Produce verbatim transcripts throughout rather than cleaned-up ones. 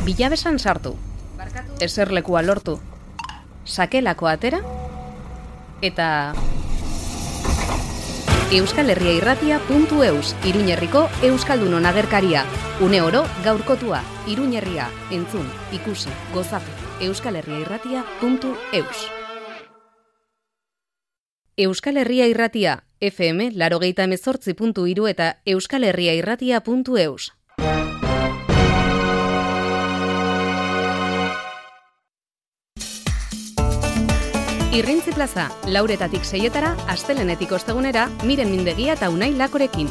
Bilabesan sartu, eserlekua lortu, sakelako atera, eta Euskal Herria Irratia puntu eus, Iruñerriko Euskaldunon agerkaria. Une oro gaurkotua, Iruñerria, entzun, ikusi, gozatu, Euskal Herria Irratia puntu eus. Euskal Herria Irratia, F M, larogeita hemezortzi puntu hiru eta Euskal Herria Irratia puntu eus. Irrintzi plaza, lauretatik seietara, astelenetik ostegunera, Miren Mindegia eta Unai Lakorekin.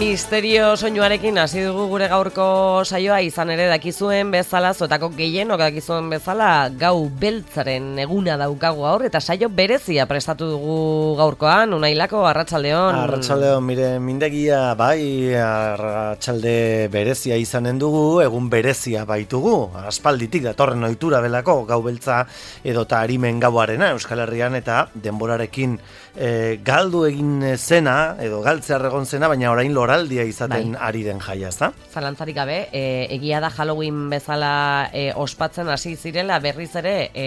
Misterio soinuarekin hasi dugu gure gaurko saioa, izan ere dakizuen bezala, zuetako gehienok dakizuen bezala, gau beltzaren eguna daukagu gaur, eta saio berezia prestatu dugu gaurkoan. Unailako, arratsaldeon. Arratsaldeon, mire, mindegia, bai, arratsalde berezia izanen dugu, egun berezia baitugu, aspalditik datorren ohitura belako, gau beltza edota arimen gauarena Euskal Herrian, eta denborarekin e, galdu egin zena, edo galtzear egon zena, baina orain loraldia izaten bai. Ari den jaia, ezta? Zalantzarik gabe, e, egia da Halloween bezala e, ospatzen hasi zirela berriz ere e,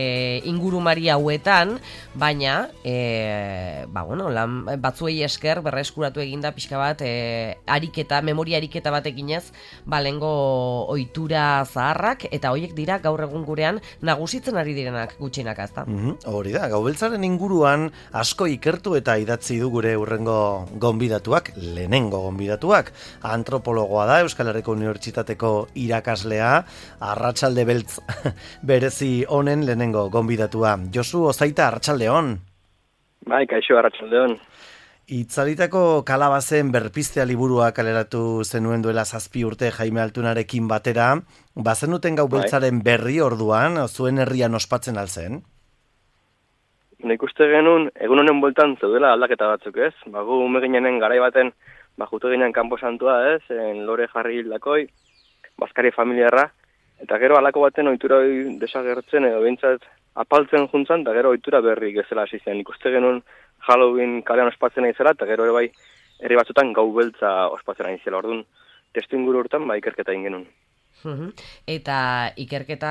ingurumari hauetan, baina e, ba, bueno, lan, batzuei esker berreskuratu eginda pixka bat e, ariketa, memoria ariketa bat eginez, ba, lengo ohitura zaharrak, eta hoiek dira gaur egun gurean nagusitzen ari direnak gutxinak, ezta? Mm-hmm, hori da, gaubeltzaren inguruan asko ikertu eta idatzi du gure urrengo gonbidatuak, lehenengo gonbidatuak. Antropologoa da, Euskal Herriko Unibertsitateko irakaslea, arratsalde beltz berezi honen lehenengo gonbidatua. Josu Ozaita, arratsaldeon. Bai, kaixo, arratsaldeon. Itzalitako kalabazen berpiztea liburua kaleratu zenuen duela zazpi urte Jaime Altunarekin batera, bazenuten gau beltzaren berri orduan, zuen herrian ospatzen alzen? Nik uste genuen, egun honen bueltan zeudela aldaketa batzuk, ez? Bagu ume ginenen garai baten, ba, jute ginen kanpo santua, ez? En lore jarri hildakoi, Baskari familiarra, eta gero alako baten ohitura hori desagertzen, edo behintzat apaltzen juntzan, eta gero ohitura berri gezela hasi zen. Nik uste genuen Halloween kalean ospatzen nahi zela, eta gero ere bai, herri batzutan gau beltza ospatzen nahi zela. Orduan, testu inguru hortan, ba, ikerketa egin genuen. Eta ikerketa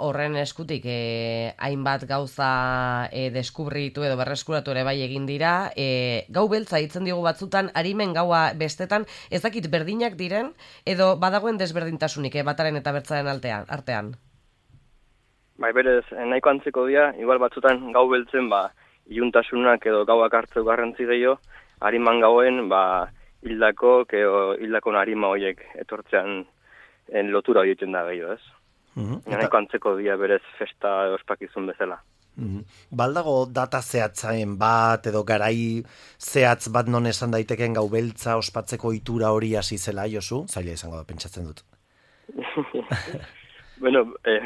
horren eskutik eh, hainbat gauza eh, deskubritu edo berreskuratu ere bai egin dira, eh, gau beltza hitzen diogu batzutan, arimen gaua bestetan, ez dakit berdinak diren, edo badagoen desberdintasunik eh, bataren eta bertzaren altean, artean? Bai, berez, nahiko antzeko dira, igual batzutan gau beltzen, ba, iluntasunak edo gauak hartzeu garrantzi gehiago, ariman gauen, ba, hildako, edo hildako arima horiek etortzean en lotura egiten da gehiago, ez? Uh-huh. Nahiko antzeko dia berez festa ospakizun bezala. Uh-huh. Baldago data zehatzaen bat edo garai zehatz bat non esan daiteken gau beltza ospatzeko ohitura hori hasi zela, Josu? Zaila izango da, pentsatzen dut. Bueno, eh,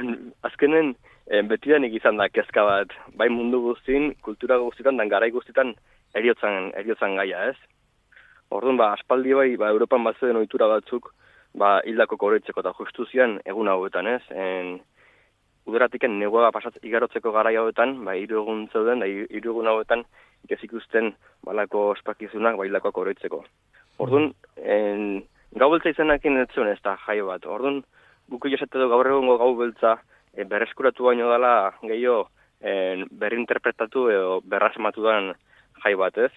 azkenen eh, betidanik izan da kezka bat, bai mundu guztin, kultura guztitan, dan garai guztitan eriotzan, eriotzan gaia, ez? Orduan, ba, aspaldi bai, ba, Europan batzuen ohitura batzuk, ba, hildako koroitzeko eta justuzian egun hauetan, ez? En, uderatiken negua pasat igarotzeko garai hauetan, ba, hiru egun zeuden, da hiru egun hauetan ikezik usten balako ospakizunak ba, hildakoak koroitzeko. Orduan, en, gau beltza izenakin ez zuen ez da jaio bat. Orduan, buku josete du gaur egungo gau beltza e, berreskuratu baino dela gehiago berrinterpretatu edo berrasmatu dan jai bat, ez?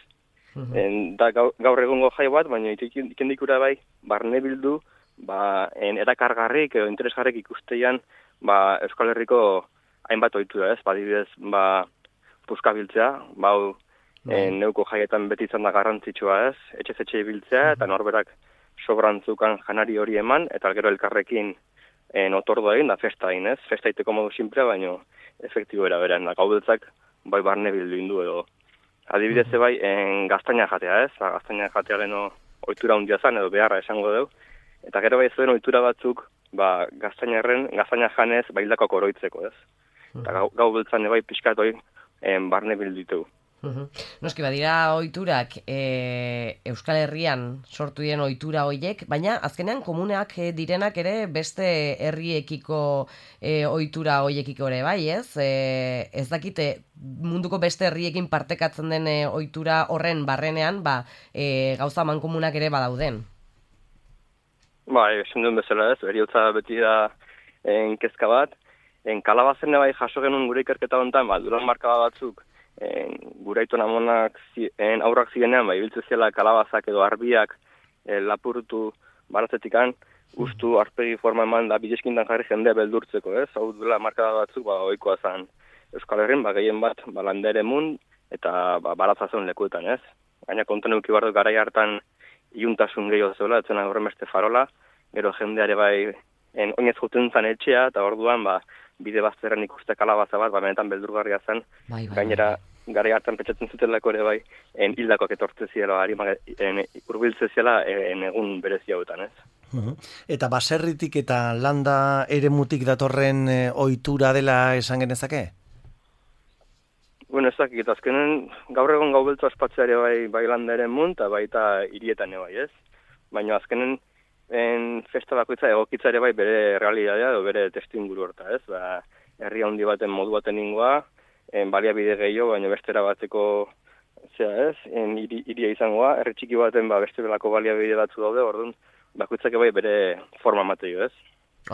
Uh-huh. En, da gaur, gaur egungo jai bat, baina ikendikura bai, barne bildu, ba, en erakargarrik edo interesgarrik ikusteian ba, Euskal Herriko hainbat ohitura, ez? Badibidez, ba, puska biltzea, ba, en, neuko jaietan beti izan da garrantzitsua, ez? Etxe-etxe biltzea, eta norberak sobrantzukan janari hori eman, eta gero elkarrekin en, otordu egin, da festa egin, ez? Festa iteko modu simplea, baina efektibo eraberan, da gau beltzak bai barne bildu indu edo. Adibidez, bai, en, gaztaina jatea, ez? Ba, gaztaina jatea leno ohitura hundia zan, edo beharra esango dugu. Eta gero bai zuen ohitura batzuk, ba, gaztainarren, gaztaina janez, ba, hildako koroitzeko, ez? Eta gau, gau beltzan bai pixkat hori barne bilditu. Uhum. Noski badira ohiturak e, Euskal Herrian sortu diren ohitura hoiek, baina azkenean komuneak e, direnak ere beste herriekiko e, ohitura hoiekiko ere bai, ez? E, ez dakite munduko beste herriekin partekatzen den e, ohitura horren barrenean, ba, e, gauza mankomunak ere badauden. Bai, esan duen bezala ez, heriotza beti da en, kezka bat, en, kalabazen bai jaso genuen gure ikerketa honetan, ba, duran marka batzuk, En, gure aitona amonak en, aurrak zirenean, bai, biltze ziela kalabazak edo arbiak e, lapurtu baratzetikan, ustu arpegi forma eman da bideskintan jarri jendea beldurtzeko, ez? Hau duela markada batzuk, ba, oikoa zen Euskal Herrin, ba, gehien bat, ba, landere mun, eta ba, baratzazen lekuetan, ez? Gaina konten euki bardu garai hartan iuntasun gehiago zeula, etzena horren beste farola, gero jendeare bai, en, oinez juten zen etxea, eta orduan, ba, bide bazterren ikuste kalabaza bat, ba, benetan beldurgarria zen, bai, bai, gainera, garai hartan petxatzen zutelako ere bai, en hildakoak etortze ziela, urbiltze ziela en egun berezi hauetan, ez? Uh-huh. Eta baserritik eta landa eremutik datorren e, ohitura dela esan genezake? Bueno, ez dakit, azkenen gaur egon gau beltza ospatzea ere bai, bai landa eremun, eta baita hirietan ere bai, ez? Baina azkenen en festa bakoitza egokitza ere bai bere realitatea edo bere testuinguru horta, ez? Ba, herri handi baten modu baten ingoa, en baliabide gehiago, baina bestera bateko zera ez, en iria izangoa, herri txiki baten ba, beste belako baliabide batzu daude, orduan bakoitzak bai bere forma mateio, ez?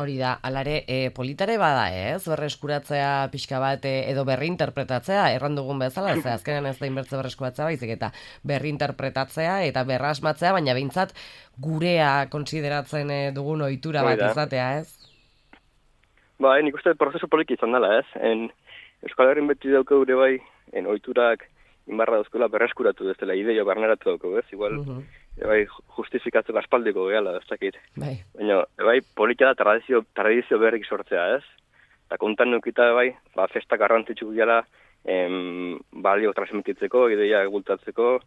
Hori da, alare, e, politare bada ez, berreskuratzea pixka bat e, edo berrinterpretatzea, erran dugun bezala, ze azkenean ez da inbertze berreskuratzea baizik eta berrinterpretatzea eta berrasmatzea, baina behintzat gurea konsideratzen e, dugun ohitura bat izatea, ez? Ba, nik uste prozesu poliki izan dela, ez? En, Euskal Herrin beti dauka gure bai, en ohiturak inbarra dauzkola berreskuratu ez dela ideio barneratu dauko, ez? Igual, uh-huh. bai, justifikatzeko aspaldiko gehala, ez dakit. Bai. Baina, bai, politika da tradizio, tradizio berrik sortzea, ez? Eta kontan nukita, bai, ba, festak garrantzitsu gila, em, balio transmititzeko, ideia egultatzeko,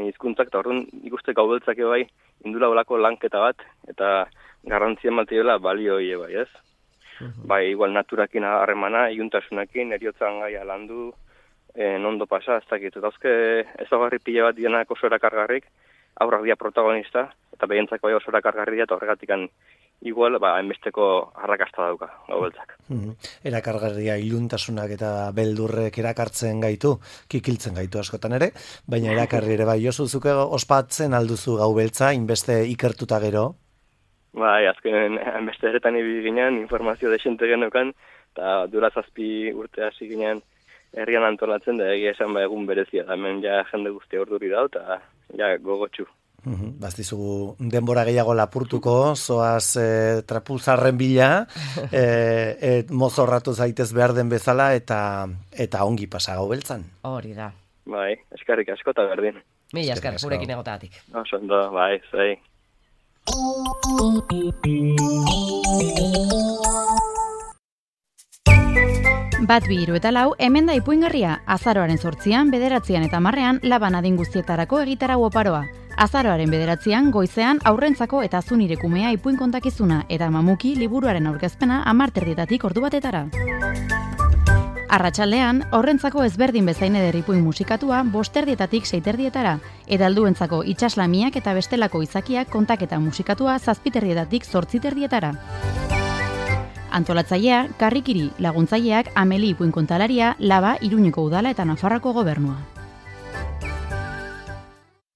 hizkuntzak eta orduan ikuste gaubeltzak bai, indula olako lanketa bat, eta garrantzia matioela balio hie bai, ez? Bai, igual naturakin harremana, iuntasunakin, eriotzan gaia landu, en ondo pasa, ez dakit. Eta hozke ezagarri pila bat dienak oso erakargarrik, aurrak dia protagonista, eta behintzak bai oso erakargarri eta horregatikan igual, ba, enbesteko arrakasta dauka, gaubeltzak. Mm-hmm. Erakargarria iluntasunak eta beldurrek erakartzen gaitu, kikiltzen gaitu askotan ere, baina erakarri ere bai, Josu, zuke ospatzen alduzu gaubeltza, inbeste ikertuta gero? Bai, azkenen beste eretan ibili ginen, informazio desente genokan, eta dura zazpi urte hasi ginen herrian antolatzen, da egia esan ba egun berezia, da hemen ja jende guztia orduri dau, eta ja gogotxu. Uhum, Baztizugu denbora gehiago lapurtuko, zoaz e, trapuzarren bila, e, et mozorratu zaitez behar den bezala, eta eta ongi pasa gaubeltzan. Hori da. Bai, eskarrik asko eta berdin. Mila esker, gurekin egotatik. Oso ondo, bai, zai. Bat bi hiru eta lau, hemen da ipuingarria, azaroaren zortzian, bederatzian eta marrean, laban adin guztietarako egitarau oparoa. Azaroaren bederatzian, goizean, aurrentzako eta zunirekumea ipuin kontakizuna, eta mamuki liburuaren aurkezpena amarterdietatik ordu batetara. Arratsaldean, horrentzako ezberdin bezain eder ipuin musikatua bosterdietatik seiterdietara, eta helduentzako itsaslamiak eta bestelako izakiak kontaketa musikatua zazpiterdietatik zortziterdietara. Antolatzailea, Karrikiri, laguntzaileak Ameli ipuin kontalaria, Laba, Iruñeko udala eta Nafarroako gobernua.